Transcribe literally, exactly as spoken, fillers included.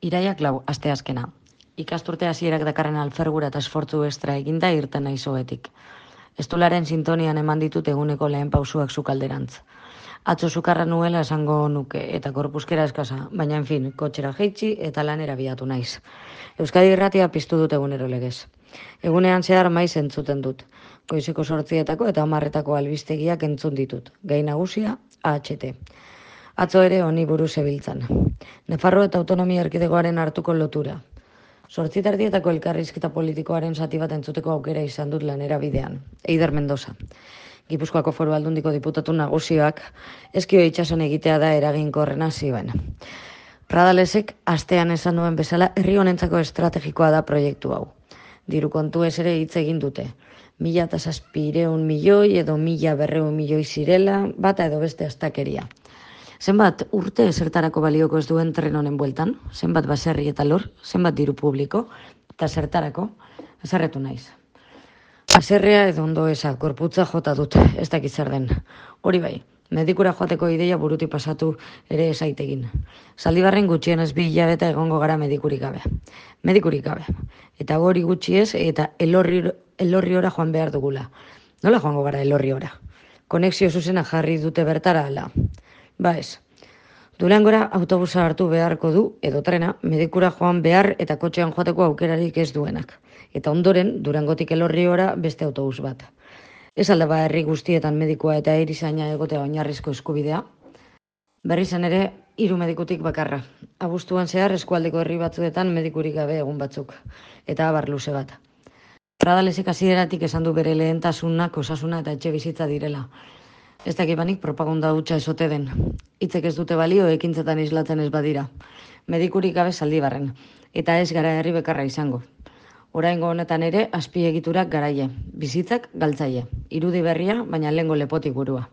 Iraiak lau, asteazkena. Ikasturte hasierak dakarren alfergura eta esfortzu estra eginda irten naiz ohetik. Estularen sintonian eman ditut eguneko lehen pausuak sukalderantz. Atzo sukarra nuela esango nuke eta korpuskera eskasa, baina en fin, kotxera jeitsi eta lanera biatu naiz. Euskadi Irratia piztu dut egunero legez. Egunean zehar maiz entzuten dut. Goizeko sortzietako eta hamarretako albistegiak entzun ditut. Gai nagusia, A H T. Atzo ere honi buruz zebiltzan. Nafarroa eta autonomia erkidegoaren hartuko lotura. Sortzitardietako elkarrizketa politikoaren zati bat entzuteko aukera izan dut lanera bidean. Eider Mendoza. Gipuzkoako Foru Aldundiko diputatu nagusioak eskio itxason egitea da eraginkorrena zioen. Pradalesek astean esan duen bezala herri honentzako estrategikoa da proiektu hau. Diru kontuez ere hitz egin dute. Mila eta zazpireun milioi edo mila berreun milioi zirela, bata edo beste astakeria. Zenbat urte zertarako balioko ez duen tren honen bueltan, zenbat baserri eta lor, zenbat diru publiko, eta zertarako, azarretu naiz. Baserria edo ondo eza, gorputza jota dut, ez dakit zer den. Hori bai, medikura joateko ideia buruti pasatu ere esaitegin. Zaldibarren gutxienez bi hilabete egongo gara medikurik gabe. Medikurik gabe. Eta hori gutxiez eta elorri, elorriora joan behar dugula. Nola joango gara elorriora? Konexio zuzena jarri dute bertara ala. Ba ez. Durangora autobusa hartu beharko du edo trena medikura joan behar eta kotxean joateko aukerarik ez duenak. Eta ondoren Durangotik Elorriora beste autobus bat. Ez alda ba herri guztietan medikua eta erizaina egotea oinarrizko eskubidea. Berrizan ere hiru medikutik bakarra. Abuztuan zehar eskualdeko herri batzuetan medikurik gabe egun batzuk. Eta abar luze bat. Pradalesek hasieratik esan du bere lehentasunak osasuna eta etxe bizitza direla. Ez dakibanik propaganda hutsa esote den. Hitzek ez dute balio ekintzetan islatzen ez badira. Medikurik gabe Zaldibarren. Eta ez gara herri bekarra izango. Oraingo honetan ere azpiegiturak garaie. Bizitzak galtzaile. Irudi berria, baina lehengo lepotik burua.